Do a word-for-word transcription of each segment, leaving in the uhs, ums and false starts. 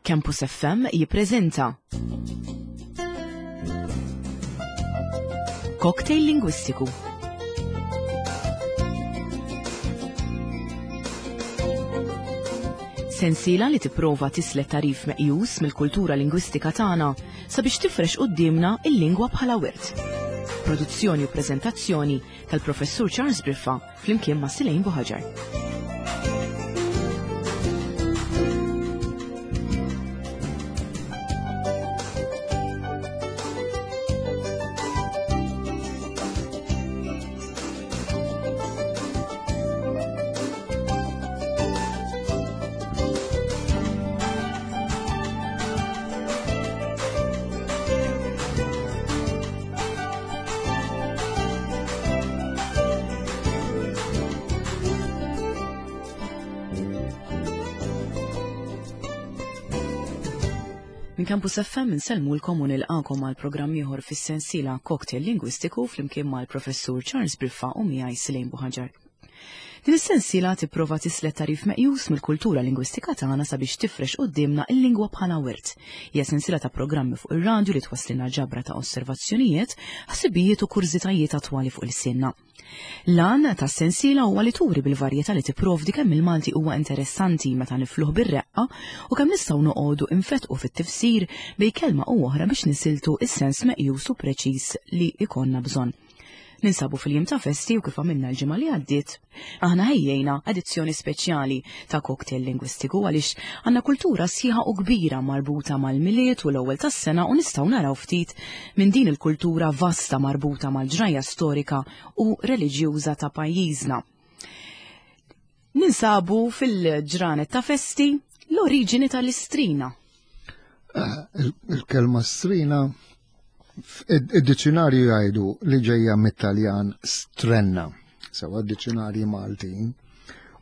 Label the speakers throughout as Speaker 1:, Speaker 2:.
Speaker 1: Campus F M jippreżenta Cocktail Lingwistiku. Sensiela li tipprova tislet tarif meqjus mill-kultura lingwistika tagħna sabiex tifrex quddiemna il-lingwa bħala wirt. Produzzjoni u preżentazzjoni tal-Professur Charles Briffa flimkien ma' Silejn Buħaġar. Minn Campus F M insellmulkom u nilqakom għal programm ieħor fis-sensiela Cocktail Lingwistiku flimkien mal-Professur Charles Briffa u miegħi Silejn Buħaġar. Din is-sensiela tipprova tislet tarif meqjus mill-kultura lingwistika tagħna sabiex tifrex quddiemna il-lingwa bħala wirt. Hija sensiela ta' programmi fuq ir-radju li twasslilna ġabra ta' osservazzjonijiet, ħsibijiet u kurżitajiet attwali fuq il-sinna. L-għan tas-sensiela huwa li turi bil-varjetà li tipprovdi kemm il-Malti huwa interessanti meta nifluh bir-reqqa u kemm nistgħu noqogħdu infetqu fit-tifsir bejn kelma u oħra biex nisiltu is-sens meqjus u preċiż li ikonna bżonn. Ninsabu fil-jiem ta' festi u kif għamilna l-ġimgħa li għaddiet, aħna ħejjejna edizzjoni speċjali ta' Cocktail Lingwistiku għaliex għandna kultura sħiħa u kbira marbuta mal-Milied u l-ewwel tas-sena u nistgħu naraw ftit minn din il-kultura vasta marbuta mal-ġrajja storika u reliġjuża ta' pajjiżna. Ninsabu fil-ġranet ta' festi l-oriġini tal-istrina.
Speaker 2: Eh, il-kelma strina id-dizzjonarju jgħidu li ġejja mit-Taljan strenna, sewa d-dizzjonarji Maltin,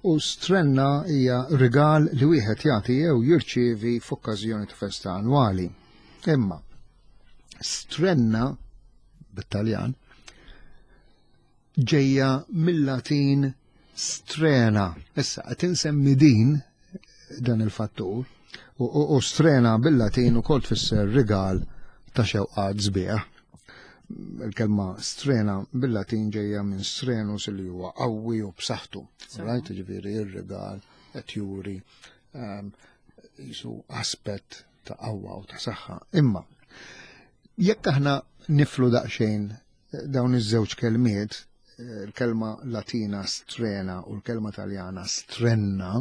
Speaker 2: u strenna hija rigal li wieħed jagħti jew jirċievi f'okkażjoni ta' festa annwali. Imma strenna bit-Taljan ġejja mill-Latin strena. Issa qed insemmi din dan il-fattur u, u, u strena bil-Latin ukoll tfisser rigal ta' xewqat sbieħ. Il-kelma strena bil-Latin ġejja minn strenus li huwa qawwi u b'saħħtu. Right? Ġifieri ir-rigal qed juri, ehm, jisu aspett ta' qawwa u ta' saħħa. Imma jekk aħna niflu daqsxejn dawn iż-żewġ kelmiet, il-kelma Latina strena u l-kelma Taljana strenna,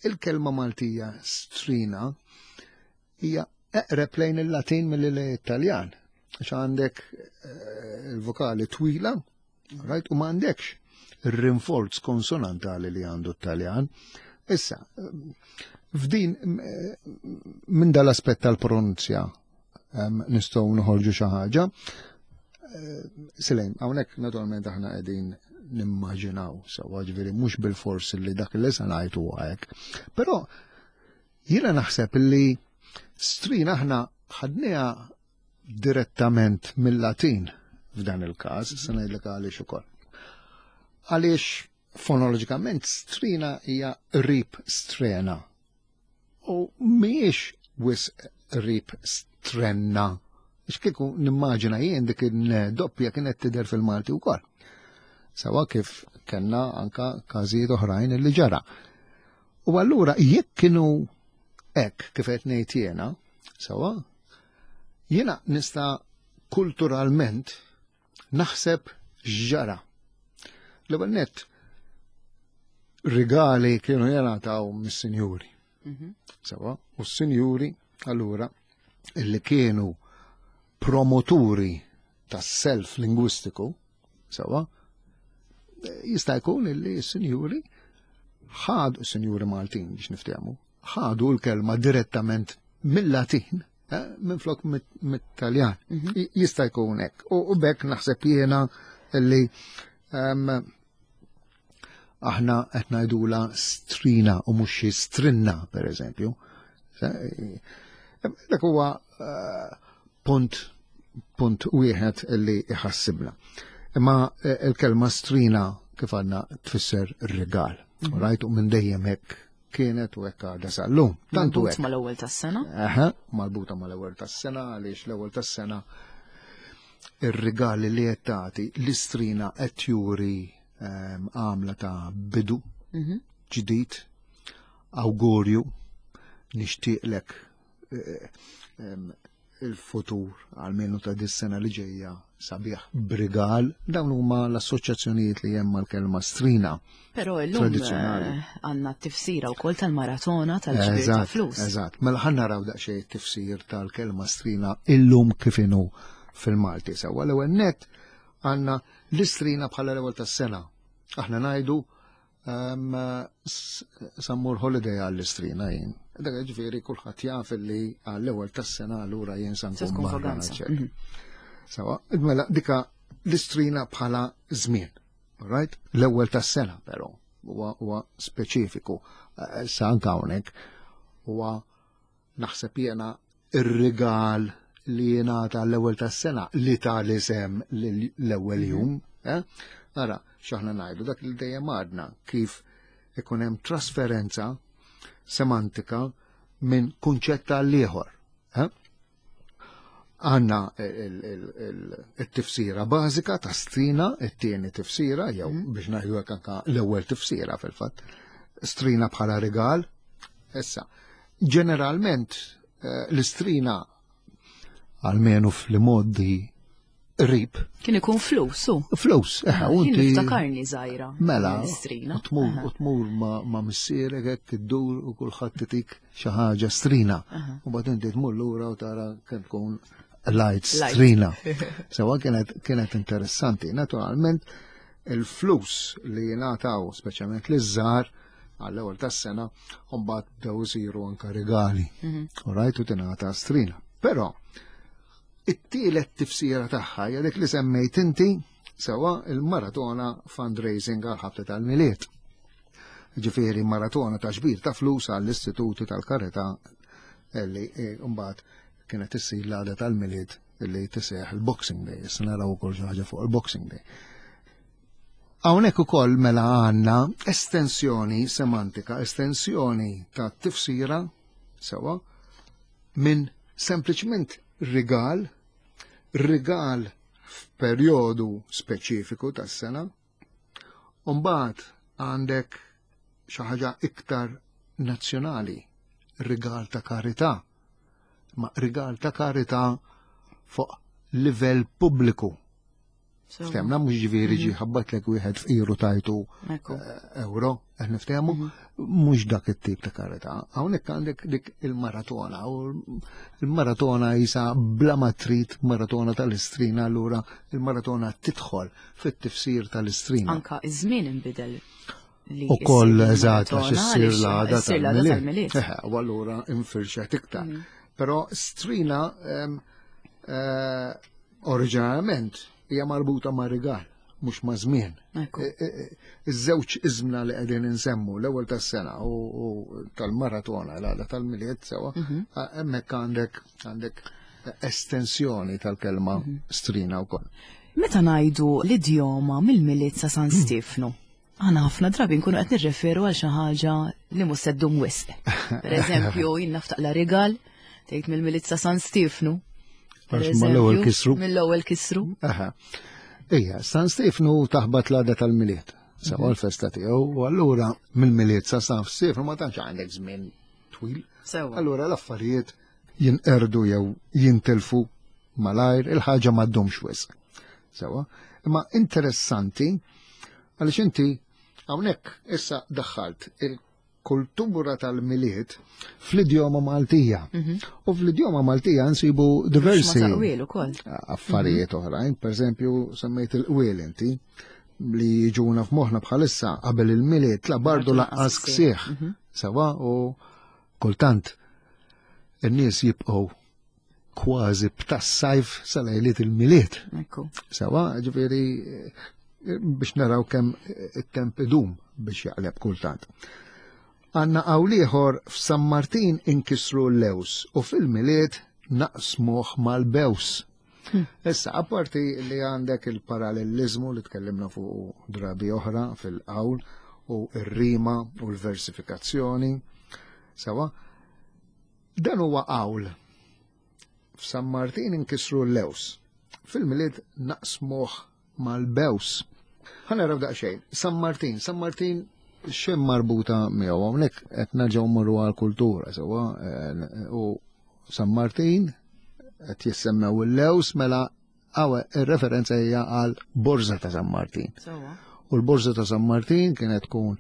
Speaker 2: il-kelma Maltija strina hija eqreb lejn il-Latin milli lejn it-Taljan. Għax għandek, eh, il-vokali twila, right, u ma għandekx ir-rinforz konsonantali li għandu t-Taljan. Issa, f'din, eh, minn dal-aspett tal-pronunzja, ehm, nistgħu noħorġu xi ħaġa. Eh, Silejn, hawnhekk naturalment aħna qegħdin nimmaġinaw sewwa, ġifieri mhux bil-fors li dak li se ngħid huwa hekk. Però jiena naħseb li strina aħna ħadniha direttament mill-Latin f'dan il-każ, se ngħidlek għaliex ukoll. Għaliex fonoloġikament strina hija qrib strena u mhijiex wisq qrib strenna. Għax kieku nimmaġina jien dik il-doppja kienet tidher fil-Malti wkoll. Sawa kif kellna anka każijiet oħrajn li ġara. U allura jekk kienu hekk kif qed ngħid jiena, sawa, jiena nista' kulturalment naħseb x'ġara. L-ewwel nett rigali kienu jingħataw mis-sinjuri.
Speaker 1: Mhm.
Speaker 2: Sawa, u s-sinjuri allura illi kienu promoturi tas-self lingwistiku, sawa, jista' jkun illi s-sinjuri ħadu, s-sinjuri Maltin biex niftehmu, ħadu l-kelma direttament mill-Latin, eh, minflok mit-, mit-Taljan.
Speaker 1: Mhm.
Speaker 2: I-, jista' jkun hekk. U, u bekk naħseb jiena illi, ehm, aħna qed ngħidula strina u mhux xi strinna, per eżempju. Eh, dak huwa, eh, punt, punt wieħed illi iħassibna. Imma, eh, il-kelma strina kif għandna tfisser rigal.
Speaker 1: Mhm.
Speaker 2: Right? U minn dejjem hekk kienet u hekk għadha sal-lum.
Speaker 1: Tantu hekk. Mal-ewwel tas-sena?
Speaker 2: Aha, marbuta mal-ewwel tas-sena għaliex l-ewwel tas-sena ir-rigali li qed tagħti l-istrina qed juri ehm, għamla ta' bidu mhm. ġdid, awgurju, nixtieqlek eh, ehm, il-futur għalmenu ta' dis-sena li ġejja sabiħ b'rigal, dawn huma l-assoċjazzjonijiet li hemm mal-kelma strina.
Speaker 1: Però illum eh, għandna t-tifsira wkoll tal-maratona tal-ġbir ta' flus.
Speaker 2: Eżatt, mela ħa naraw daqsxejn tifsir tal-kelma strina illum kif inhu fil-Malti. Sewwa l-ewwel nett għandna l-istrina bħala l-ewwel tas-sena. Aħna ngħidu sa mmur holiday għall-istrina jien. Dak ġifieri kulħadd jaf li għall-ewwel tas-sena allura jien sa nkun barra. Mhm. Sewwa, mela dika l-istrina bħala żmien. Right? L-ewwel tas-sena però huwa huwa speċifiku. Eh, sa anke hawnhekk huwa naħseb jiena ir-rigal li jingħata l-ewwel tas-sena li ta l-isem l-ewwel mhm. jum. Eh? Ara, x'aħna ngħidu dak li dejjem għadna kif ikun hemm trasferenza semantika minn kunċett għal ieħor. Eh? Għanna il-tifsira bażika ta' strina, it-tieni tifsira, jew mhm. biex ngħidu hekk anka l-ewwel tifsira fil-fatt. Strina bħala rigal. Issa, ġeneralment eh, l-istrina għalmenu fl-modi qrib.
Speaker 1: Kien ikun flus, u?
Speaker 2: Flus, eħe, u
Speaker 1: inti. Niftakarni żgħira.
Speaker 2: Mela, u tmur, u tmur ma' missierek hekk iddur u kulħadd itik xi ħaġa strina. U mbagħad inti tmur lura u tara kemm tkun light strina. Sewwa kienet kienet interessanti. Naturalment, il-flus li jingħataw speċjalment liż-żgħar għall-ewwel tas-sena, u mbagħad bdew isiru anke rigali. Mhm. U rajtu tingħata strina. Però it-tielet tifsira tagħha hija dik li semmejt inti sewwa il-maratona fundraising għal ħabta tal-Milied. Ġifieri maratona ta' ġbir ta' flus għall-istituti tal-karità li eh, mbagħad kienet issir l-għada tal-Milied li tiseħ il-Boxing Day, issa naraw ukoll xi ħaġa fuq il-Boxing Day. Hawnhekk ukoll mela għandna estensjoni semantika, estensjoni ta' tifsira sewwa minn sempliċement rigal, rigal f'perjodu speċifiku tas-sena, u mbagħad għandek xi ħaġa iktar nazzjonali, rigal ta' karità, ma rigal ta' karità fuq livell pubbliku. Ftemna mhux ġifieri ġi mhm. ħabbatlek wieħed fqiru tajtu eh, euro, qed niftehmu, mhm. mhux dak it-tip ta' karità. Hawnhekk għandek dik il-maratona u il-maratona jisa bla ma trid maratona tal-istrina allura il-maratona tidħol fit-tifsir tal-istrina.
Speaker 1: Anka iż-żmien inbidel.
Speaker 2: U koll eżatt għax issir l-għada tal-Milied. U allura infirxet iktar. Mhm. Però strina eh, oriġinarjament hija marbuta ma' rigal, mhux ma' żmien. E, e, e, iż-żewġ iżmna li qegħdin insemmu l-ewwel tas-sena u tal-maratona l-għada tal-Milied sewwa, mhm. hemmhekk għandek għandek estensjoni tal-kelma mhm. strina wkoll.
Speaker 1: Meta ngħidu l-idjoma mill-Milied sa San Stefnu, aħna ħafna drabi nkunu qed nirreferu għal xi ħaġa li mhux se ddum wisq. Per eżempju, jien naftaqla rigal tgħid mill-Milied sa San Stefnu.
Speaker 2: Għax mal-ewwel kisru.
Speaker 1: Mill-ewwel kisru.
Speaker 2: Aha. Ija, San Stefnu taħbat l-għada tal-Milied. Sawa mhm. l-festa tiegħu u allura mill-Milied sa San Stefnu ma tantx għandek żmien twil. Allura l-affarijiet jinqerdu jew jintilfu malajr, il-ħaġa ma ddumx wisq. Sewa, imma interessanti għaliex inti hawnhekk issa daħħalt il kultura tal-Milied fl-idjoma Maltija. Mhm. U fl-idjoma Maltija nsibu diversi affarijiet mhm. oħrajn, per eżempju semmejt il-qwiel inti li jiġuna f'moħħna bħalissa qabel il-Milied la bardu laqqas ksieħ. Mhm. Sewa u kultant in-nies jibqgħu kważi b'tas-sajf sa lejliet il-Milied. Sewa, ġifieri biex naraw kemm it-temp idum biex jaqleb kultant. Għanna ieħor f'San Martin inkisru l-lews u fil-Milied naqsmuh mal-bews. Hmm. Issa, apparti li għandek il-parallelizmu li tkellimna fuq drabi oħra fil-qawl u r-rima u l-versifikazzjoni. Sewa, dan huwa qawl. F'San Martin inkisru l-lews. Fil-Milied naqsmuh mal-bews. Ħa naraw daqsxejn. San Martin, San Martin x'hemm marbuta miegħu? Hawnhekk qed nerġgħu mmorru għall-kultura, sewa, u San Martin qed jissemmew il-lews, mela għawe ir-referenza hija għal Borża ta' San Martin. U l-Borża ta' San Martin kienet tkun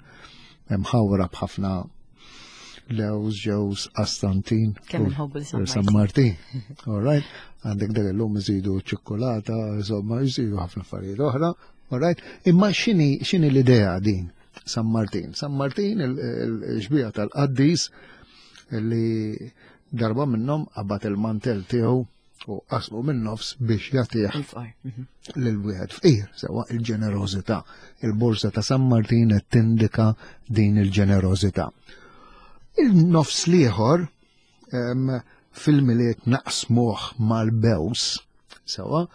Speaker 2: mħawra b'ħafna lews, ġews, astantin.
Speaker 1: Kemm inħobbu
Speaker 2: San San Martin. All right. Għandek dak illum iżidu ċikkulata, insomma, jżidu ħafna affarijiet oħra. All right. Imma x'inhi x'inhi l-idea din? San Martin. San Martin, il-xbieha tal-qaddis li darba minnhom qabad il-mantel tiegħu u qasmu minn nofs biex jagħtih
Speaker 1: mhm.
Speaker 2: lil wieħed fqir, sewa, il-ġenerożità. Il-borsa ta' San Martin qed tindika din il-ġenerożità. Il-nofs l-ieħor, fil-Milied naqsmuh mal-bews, sewa,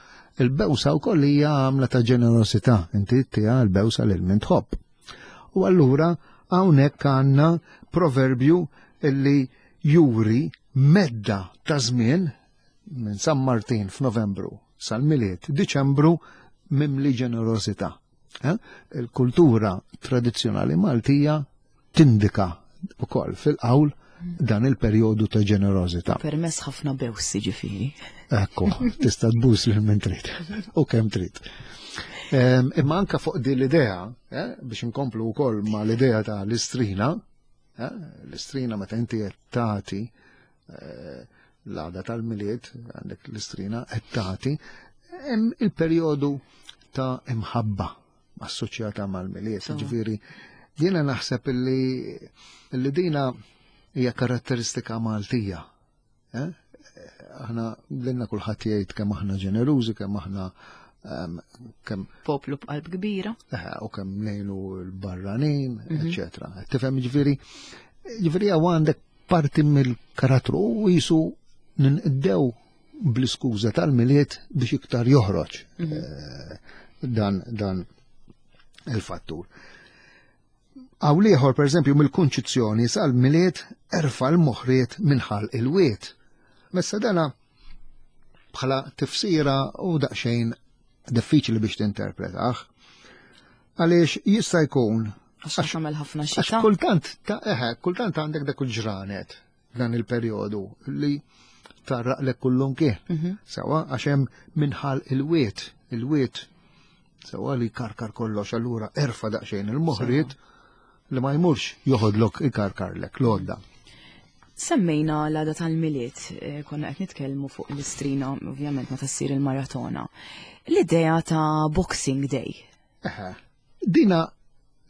Speaker 2: il-bewsa wkoll hija għamla ta' ġenerosità, inti tiha l-bewsa lil min tħobb. U allura hawnhekk għandna proverbju illi juri medda ta' żmien minn San Martin f'Novembru sal-Milied Diċembru mimli ġenerosità. Eh? Il-kultura tradizzjonali Maltija tindika ukoll fil-qawl dan il-perjodu ta' ġenerosità.
Speaker 1: Permess ħafna bews, ġifieri.
Speaker 2: Ekku, tista' tbus lil min trid u kemm trid. Imma anka fuq din l-idea, eh, biex inkomplu wkoll ma l-idea ta' l-istrina, eh, l-istrina meta inti qed tagħti, eh, l-għada tal-Milied għandek l-istrina qed tagħti, hemm il-perjodu ta' imħabba assoċjata mal-Milied. Ġifieri, jiena naħseb illi illi dina hija karatteristika Maltija. Eh? Aħna lilna kulħadd jgħid kemm aħna ġenerużi, kemm aħna kemm
Speaker 1: poplu b'qalb kbira.
Speaker 2: Eh, u kemm ngħinu l-barranin, mhm. eċetera. Tifhem, ġifieri, ġifieri hawn għandek parti mill-karattru u jisu ninqdew bl-iskuża tal-Milied biex iktar joħroġ mhm. eh, dan dan il-fattur. Għaw liħor, per eżempju, mill-Kunċizzjoni sal-Milied erfa l-moħriet minħal il-wiet. Messa dana bħala tifsira u daqxejn diffiċli biex tinterpretaħ. Għaliex jista' jkun
Speaker 1: għax tagħmel ħafna xita.
Speaker 2: Għax kultant ta' eħe, kultant għandek dak il-ġranet dan il-perjodu li tarraqlek kullum kien.
Speaker 1: Mhm.
Speaker 2: Sewa, għax hemm minħal il-wiet, il-wiet sewa li karkar kollox, allura erfa daqsxejn il-moħriet li ma jmurx joħodlok ikarkarlek l-għodda.
Speaker 1: Semmejna l-għada tal-Milied, eh, konna qed nitkellmu fuq l-istrina, ovvjament meta ssir il-maratona. L-idea ta' Boxing Day.
Speaker 2: Eħe, dina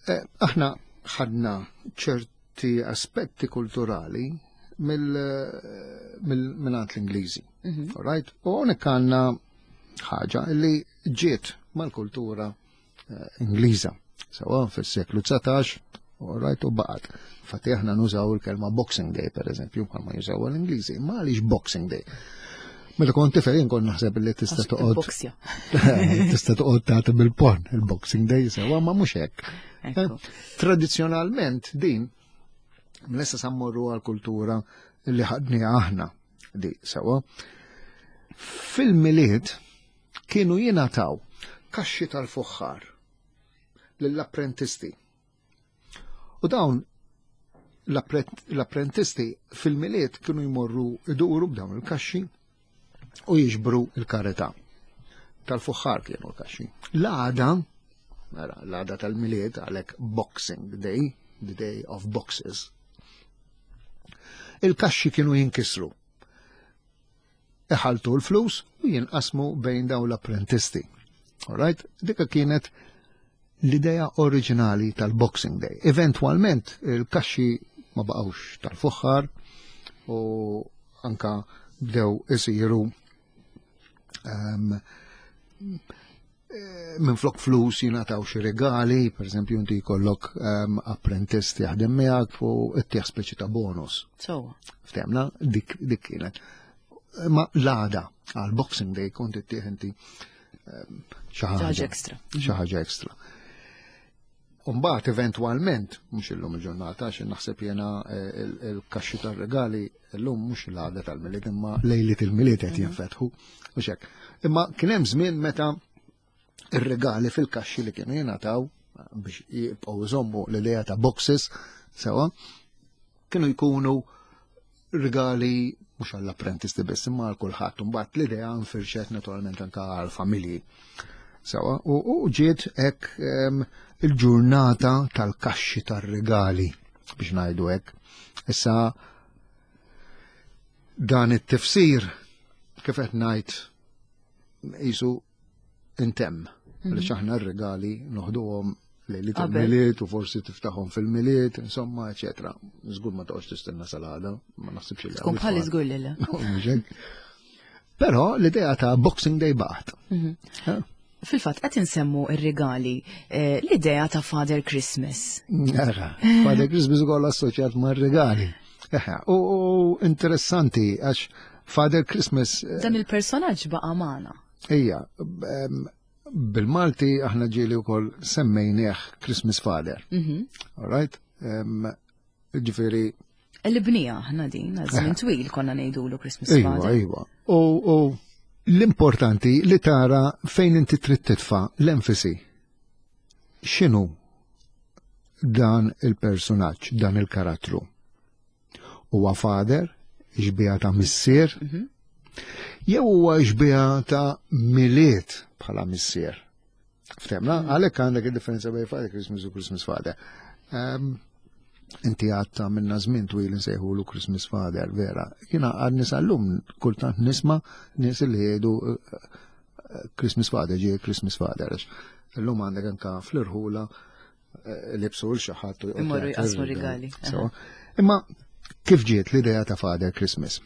Speaker 2: eh, aħna ħadna ċerti aspetti kulturali mill-minant l-Ingliżi.
Speaker 1: Mhm.
Speaker 2: All right? U hawnhekk għandna ħaġa li ġiet mal-kultura eh, Ingliża. Sewa fis-seklu dsatax, all right, u baqgħet. Infatti aħna nużaw il-kelma Boxing Day, per eżempju, bħalma jużaw l-Ingliżi. Ma għaliex Boxing Day? Meta kont tifel jien kont naħseb li tista' toqgħod
Speaker 1: Boxja.
Speaker 2: tista' toqgħod tagħti bil-pon il-Boxing Day, sewa, ma mhux hekk.
Speaker 1: Ekku.
Speaker 2: Tradizzjonalment din mlessa sammorru għal-kultura li ħadni aħna di sewa. Fil-Milied kienu jingħataw kaxxi tal-fuħħar lill-apprentisti. U dawn l-apprentisti fil-Milied kienu jmorru iduru b'dawn il-kaxxi u jiġbru il-karità. Tal-fuħħar kienu l-kaxxi. L-għada, mela, l-għada tal-Milied, għalhekk Boxing Day, the day of boxes, il-kaxxi kienu jinkisru. Iħaltu l-flus u jinqasmu bejn dawn l-apprentisti. All right? Dika kienet l-idea oriġinali tal-Boxing Day. Eventualment il-kaxxi ma baqgħux tal-fuħħar u anka bdew isiru um, minn flok flus jingħataw xi regali, per eżempju inti jkollok um, apprentist jaħdem miegħek u ittieħ speċi ta' bonus.
Speaker 1: So.
Speaker 2: Ftemna, dik, dik kienet. Ma l-għada għal Boxing Day kont ittieħ inti um, xi
Speaker 1: ħaġa ekstra.
Speaker 2: Xi ħaġa ekstra. Umbagħad eventwalment, mhux illum il-ġurnata, għax naħseb jiena eh, il-kaxxi tar-regali illum mhux l-għada tal-Milied imma lejliet il-Milied qed jinfetħu u hekk. Imma kien hemm żmien meta ir-regali fil-kaxxi li kienu jingħataw biex jibqgħu jżommu l-idea ta' boxes sewa, kienu jkunu regali mhux għall-apprentisti biss imma għal kulħadd. Imbagħad l-idea nfirxet naturalment anke għall-familji. Sewa, u ġiet hekk il-ġurnata tal-kaxxi tar-regali biex ngħidu hekk. Issa dan it-tifsir kif qed ngħid qisu intemm. Għaliex aħna r-regali noħduhom lejliet il-Milied u forsi tiftaħhom fil-Milied, insomma, eċetera. Żgur ma toqgħodx tistenna sal-għada, ma naħsibx li.
Speaker 1: Tkun bħali żgur li le.
Speaker 2: Però l-idea ta' Boxing Day baqgħet.
Speaker 1: Mhm. Fil-fatt, qed insemmu ir-regali, eh, l-idea ta' Father Christmas.
Speaker 2: Ara, Father Christmas ukoll assoċjat ma' regali. U interessanti għax Father Christmas.
Speaker 1: Eh, Dan il-personaġġ baqa' magħna.
Speaker 2: Ija, bil-Malti aħna ġieli wkoll semmejnieh Christmas Father. Mhm. All right? Ġifieri.
Speaker 1: Il-bnija aħna din, għal żmien twil konna ngħidulu Christmas Father.
Speaker 2: Iva, iva. U l-importanti li tara fejn inti trid titfa' l-enfasi. X'inhu dan il-personaġġ, dan il-karattru? Huwa father, xbieha ta' missier, mhm. jew huwa xbieha ta' Milied bħala missier? Ftehmna, mhm. għalhekk għandek il-differenza bejn Father Christmas u Christmas Father. Um, inti għatta minna żmien twil nsejħulu Christmas Father, vera. Jiena għad sal-lum kultant nisma' nies li jgħidu eh, eh, Christmas Father, ġie Christmas Father. Illum għandek anka fl-irħula eh, libsu l xi ħadd u
Speaker 1: Imorru jqasmu rigali.
Speaker 2: Imma kif ġiet l-idea ta' Father Christmas?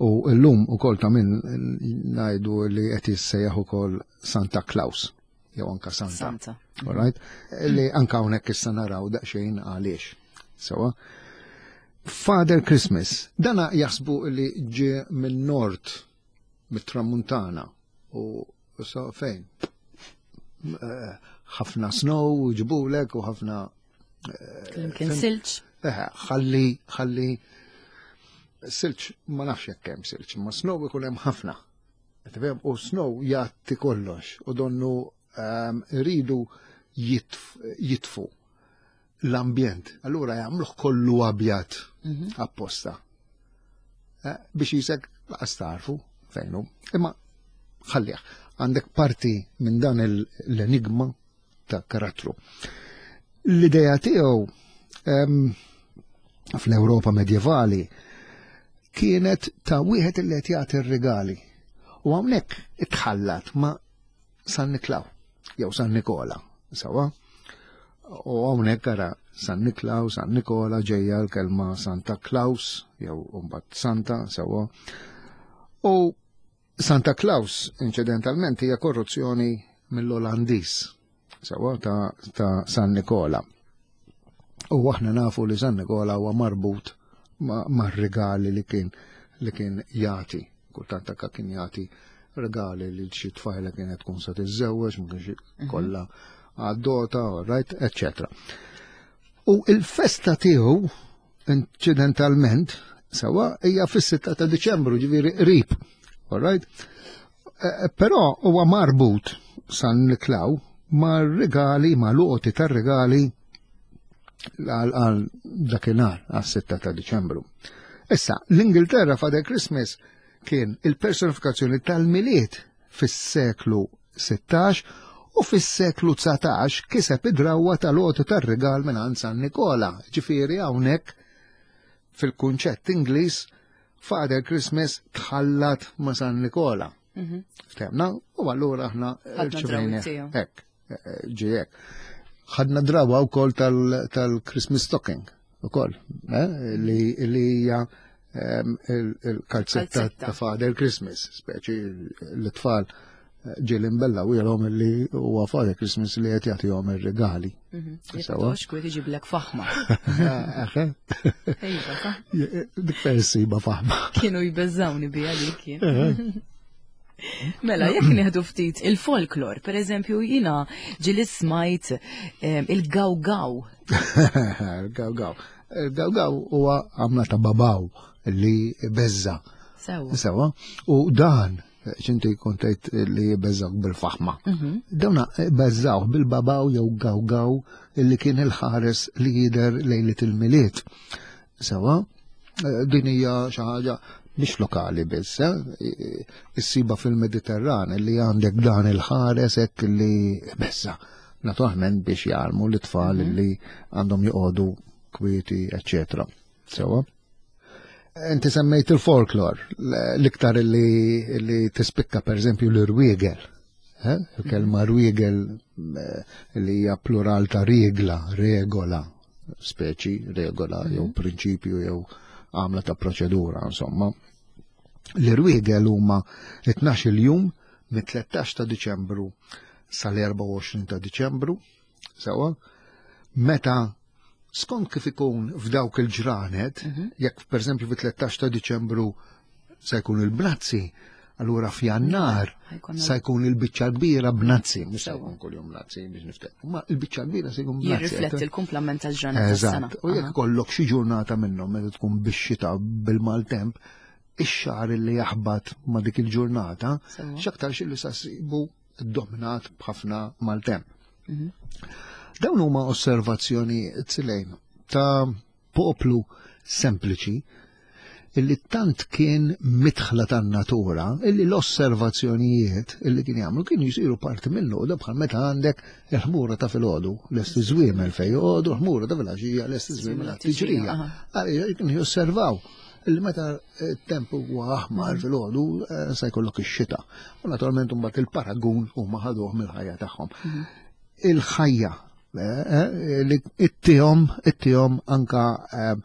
Speaker 2: U llum ukoll ta' min ngħidu li qed jissejjaħ ukoll Santa Claus jew anka Santa.
Speaker 1: Santa.
Speaker 2: All right? Li anka hawnhekk issa naraw daqsxejn għaliex. Sewa. Father Christmas, dana jaħsbu li ġie minn nord, mit-tramuntana u so fejn? Eh, ħafna snow ġibulek u ħafna.
Speaker 1: Kien silġ.
Speaker 2: Eh, ħalli, ħalli silġ ma nafx jekk hemm silġ, ma snow ikun hemm ħafna. Tifhem? U snow jgħatti kollox u donnu ehm, iridu jitfu l-ambjent. Allura jagħmluh kollu abjad mhm. apposta. Eh, biex jisek laqas tarfu fejnu. Imma ħallih, għandek parti minn dan l-enigma ta' karattru. L-ideja tiegħu ehm, fl-Ewropa medjevali kienet ta' wieħed li qed jagħti r-rigali. U hawnhekk itħallat ma' San Niklaw jew San Nikola, sawa? U hawnhekk ara San Niklaw, San Nikola ġejja l-kelma Santa Claus jew mbagħad Santa, sawa? U Santa Claus inċidentalment hija korruzzjoni mill-Olandiż, sawa ta', ta San Nikola. U aħna nafu li San Nikola huwa marbut ma' regali li kien li kien jagħti. Kultant anka kien jagħti regali li xi tfajla kienet tkun sa tiżżewweġ, ma kienx mhm. kollha għad-dota, right, eccetera. U il-festa tiegħu inċidentalment sewa hija fis-sitta ta' Diċembru, ġifieri qrib. All right? Eh, eh, però huwa marbut San Niklaw ma' regali, ma' l-għoti tar-regali għal dakinhar għas-sitta ta' Diċembru. Issa, l-Ingilterra Father Christmas kien il-personifikazzjoni tal-Milied fis-seklu sittax u fis-seklu dsatax kiseb id-drawwa tal-għoti tar-rigal minn San Nikola. Ġifieri hawnhekk fil-kunċett Ingliż Father Christmas tħallat ma' San Nikola. Mhm. Ftehmna, u allura aħna
Speaker 1: rċivejna
Speaker 2: hekk, ġie hekk. Ħadna drawa wkoll tal-Christmas stocking ukoll, eh, li hija ehm, il-kalzetta ta' Father Christmas, speċi l-tfal eh, ġieli nbella u jgħidulhom li huwa Father Christmas li qed jagħtihom ir-regali.
Speaker 1: Mhm. Sewa. Xkwiet iġiblek faħma.
Speaker 2: Dik persiba faħma.
Speaker 1: Kienu jbeżżawni bija dik. Mela, jekk nieħdu ftit il-folklor, per eżempju, jiena ġieli smajt il-gaw-gaw.
Speaker 2: Il-gaw-gaw. Il-gaw-gaw huwa għamla ta' babaw li beżza.
Speaker 1: Sewa.
Speaker 2: Sewa. U dan, ċinti kontajt li beżżawk bil-faħma. Dawna beżżawh bil-babaw jew gaw-gaw li kien il-ħares li jider lejlet il-Milied. Sewa, din hija xi ħaġa mhix lokali biss, eh? Issiba fil-Mediterran li għandek dan il-ħares hekk li beżza. Naturalment biex jgħallmu l-tfal li għandhom joqogħdu kwieti, eċċetera. Sewa. Inti semmejt il-folklor, l-iktar li, li tispikka per eżempju l-irwiegel. Eh? Il-kelma rwiegel eh, li hija plural ta' regla, regola, speċi, regola, jew prinċipju jew għamla ta' proċedura, insomma. L-irwiegel huma tnax-il jum mit-tlettax ta' Diċembru sal-erbgħa u għoxrin ta' Diċembru, sewa, meta skont kif ikun f'dawk il-ġranet, jekk per eżempju fit-tlettax ta' Diċembru se jkun il-bnazzi, allura f'Jannar
Speaker 1: Ħajkun
Speaker 2: sa jkun il-biċċa kbira bnazzi, mhux se
Speaker 1: Sewa.
Speaker 2: jkun kuljum bnazzi biex niftehmu, ma il-biċċa kbira se jkun bnazzi.
Speaker 1: Jirrifletti l-kumplament tal-ġranet tas-sena.
Speaker 2: Eżatt, u jekk kollok xi ġurnata minnhom meta tkun bix-xita bil-maltemp, ix-xahar li jaħbat ma' dik il-ġurnata,
Speaker 1: Sewa.
Speaker 2: x'aktarx li sa ssibu dominat b'ħafna maltemp.
Speaker 1: Mhm.
Speaker 2: Dawn huma osservazzjoni Silejn ta' poplu sempliċi illi tant kien mitħla tan-natura illi l-osservazzjonijiet illi kien jagħmlu kienu jsiru parti minnu, da bħal meta għandek il-ħmura ta' filgħodu lest iż-żwiemel fejn joqogħdu, l-ħmura ta' filgħaxija lest iż-żwiemel għat-tiġrija.
Speaker 1: Aha.
Speaker 2: Għaliex kienu josservaw illi meta t-temp huwa aħmar filgħodu eh, se jkollok ix-xita. U naturalment imbagħad il-paragun huma ħaduh mill-ħajja tagħhom. Il-ħajja eh, eh, li ittihom ittihom anka eh,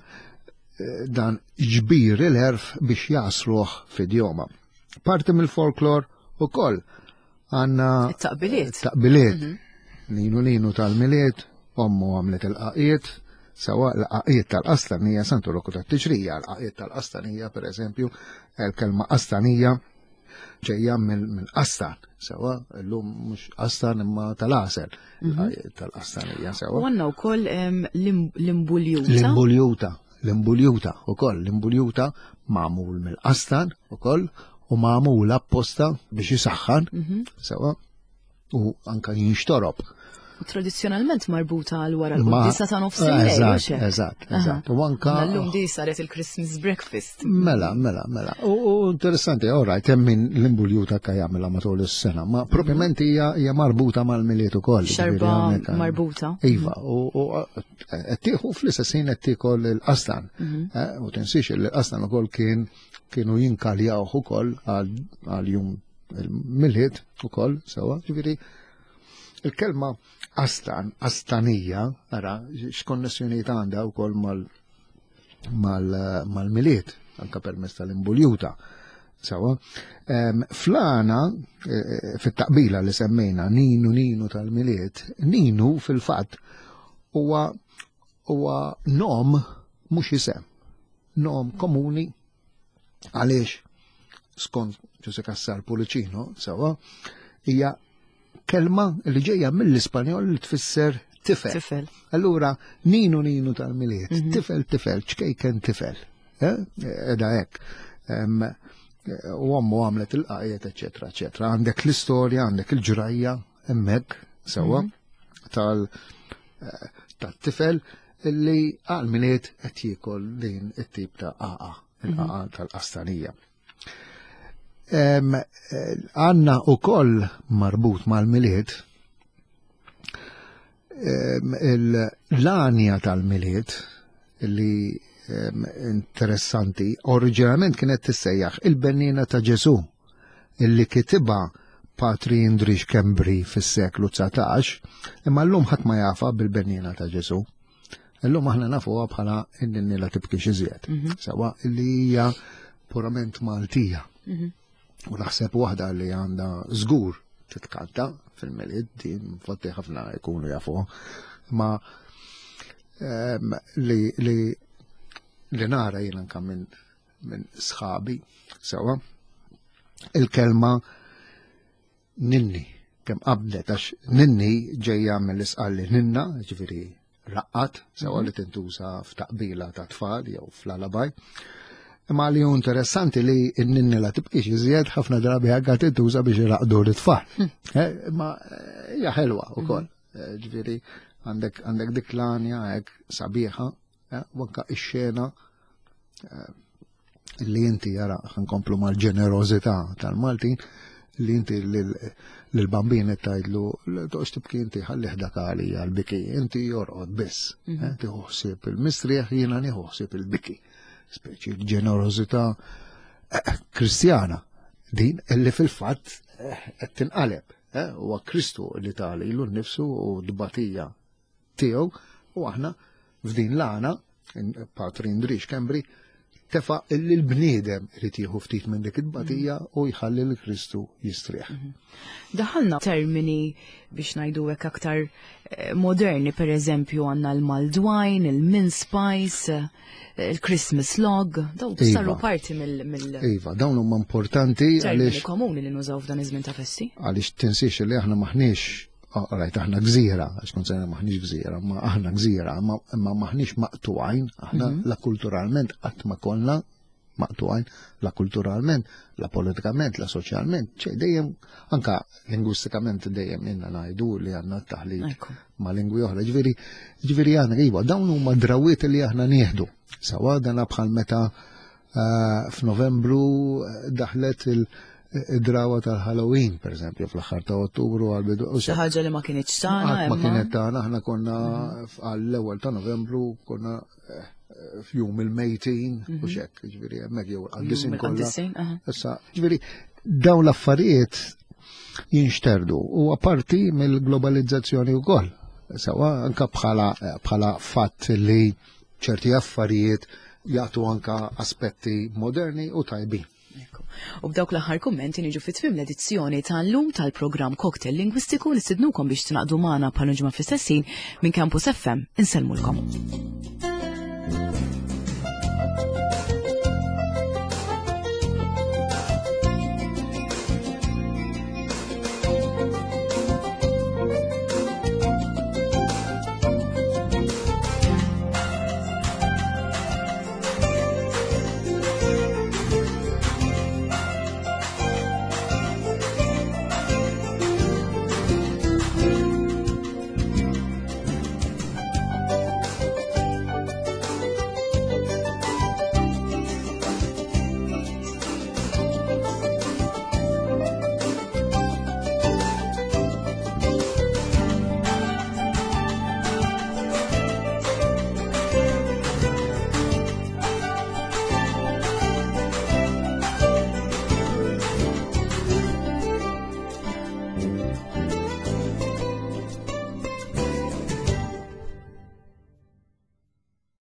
Speaker 2: dan ġbir il-għerf biex jasruħ f'idjoma. Parti mill-folklor u koll għanna
Speaker 1: It-taqbiliet.
Speaker 2: Taqbiliet. Ninu ninu tal-Milied, ommu għamlet il-qaqiet, sawa l-qaqiet tal-qastanija, Santu Rokku tat-tiġrija, l-qaqiet tal-qastanija, per eżempju, il-kelma qastanija ġejja mill-qastan, sawa, l-lum mhux qastan imma tal-għasel, l-qaqiet tal-qastanija, sawa.
Speaker 1: U għandna wkoll em, l-im- l-imbuljuta.
Speaker 2: L-imbuljuta, l-imbuljuta u koll, l-imbuljuta magħmul mill-qastan u koll u magħmul apposta biex jisaxħan, sawa, u anka jinxtorob.
Speaker 1: U tradizzjonalment marbuta għal wara
Speaker 2: Ma-
Speaker 1: l-quddiesa ta' nofs il-lejl,
Speaker 2: Eżatt,
Speaker 1: mhux hekk?
Speaker 2: eżatt, eżatt. U anka
Speaker 1: L-lum di saret il-Christmas breakfast.
Speaker 2: Mela, mela, mela. U u interessanti, all right, hemm min l-imbuljuta ka jagħmilha matul is-sena, ma propjament hija hija marbuta mal-Milied ukoll.
Speaker 1: Xarba
Speaker 2: ġifieri hawnhekk
Speaker 1: marbuta.
Speaker 2: Iva, u u qed tieħu fl-istess ħin qed tiekol il-qastan. Eh, U tinsiex li l-qastan ukoll kien kienu jinkaljawh ukoll għal għal jum il-Milied ukoll, sewa, ġifieri il-kelma qastan, qastanija, ara, x'konnessjonijiet għandha wkoll mal mal- mal-Milied, anka permezz tal-imbuljuta. Sawa, Em, flana, eh, fit-taqbila li semmejna, ninu ninu tal-Milied, ninu fil-fatt huwa huwa nom mhux isem. Nom komuni għaliex skont Ġużè Cassar Pullicino, sawa, hija kelma li ġejja mill-Ispanjol li tfisser tifel.
Speaker 1: Tifel.
Speaker 2: Allura, ninu ninu tal-Milied, tifel tifel, ċkejken tifel. Eh? Edha hekk. Em, U ommu għamlet il-qajiet, eccetera, eccetera. Għandek l-istorja, għandek il-ġrajja, hemmhekk, sewa, tal- eh, tal-tifel illi għal-Milied qed jiekol din it-tip ta' qaqa, il-qaqa tal-qastanija. Em, eh, Għanna u koll marbut mal-Milied em, l-għanja tal-Milied li em, interessanti, oriġinalment kienet tissejjaħ il-Bennina ta' Ġesu, illi kitibha Patri Indri Schembri fis-seklu dsatax, imma llum ħadd ma jafa bil-Bennina ta' Ġesu. Illum aħna nafuha bħala in-ninni la tibkix iżjed. Sawa illi hija purament Maltija. U naħseb waħda li għandha żgur titkanta fil-Milied, din infatti ħafna jkunu jafuha. Ma em, li, li, li nara jien anka minn min sħabi, sewa, il-kelma Ninni, kemm qabdet, għax ninni ġejja mill-Isqalli ninna, ġifieri raqqat, sewa li tintuża f'taqbila ta' tfal jew fl-alabaj. Imma li hu interessanti li n-ninni la tibqix iżjed ħafna drabi anke tintuża biex iraqdu l-tfal. Imma hija ħelwa wkoll. Ġifieri għandek għandek dik l-għanja hekk sabiħa, u anke ix-xena li inti jara ħankomplu mal-ġenerożità tal-Maltin, li inti lil-bambin tgħidlu toqgħodx tibki inti ħalli dak għalija l-biki, inti jorqod biss. Tieħu ħsieb il-mistrieħ, jiena nieħu ħsieb il-biki. Speċi l-ġenerożità kristjana din illi fil-fatt qed tinqaleb. Huwa Kristu li ta lilu nnifsu u d-batija tiegħu, u aħna f'din l-għana, Patri Indrix Kembri, tefa' illi l-bniedem irid jieħu ftit minn dik it-tbatija u jħalli l Kristu jistrieħ.
Speaker 1: Daħalna termini biex ngħidu hekk aktar moderni, per eżempju għandna l-Maldwine, il-mince pies, il-Christmas log, dawn saru parti mill
Speaker 2: Iva, dawn huma importanti
Speaker 1: għaliex komuni li nużaw f'dan iż-żmien ta' festi.
Speaker 2: Għaliex tinsiex li aħna maħniex, rajt, aħna gżira, għax kont sejna maħniex gżira, ma aħna gżira, imma maħniex maqtugħin, aħna la kulturalment qatt ma konna maqtugħin, la kulturalment, la politikament, la soċjalment, ċej dejjem, anka lingwistikament dejjem inna ngħidu li għandna t-taħlit ma' lingwi oħra. Ġifieri, ġifieri aħna iva, dawn huma drawiet li aħna nieħdu. Sawa dana bħal meta f'Novembru daħlet il- id-drawa tal-Halloween, per eżempju, fl-aħħar ta' Ottubru għal-bidu.
Speaker 1: Xi ħaġa li ma kinitx tagħna.
Speaker 2: Ma kienet tagħna, aħna konna għall-ewwel ta' Novembru konna f'jum il-mejtin u xek, ġifieri hemmhekk jew il-qaddisin kollha. Issa, ġifieri dawn l-affarijiet jinxterdu u apparti mill-globalizzazzjoni wkoll. Sawa anka bħala bħala fatt li ċerti affarijiet jagħtu anka aspetti moderni u tajbin.
Speaker 1: U b'dawk l-aħħar kummenti niġu fi tmiem l-edizzjoni tal-lum tal-programm Cocktail Lingwistiku. Nistidnukom biex tingħaqdu magħna bħal ġimgħa fl-istess ħin minn Campus F M. Insellmulkom.
Speaker 3: Thank you.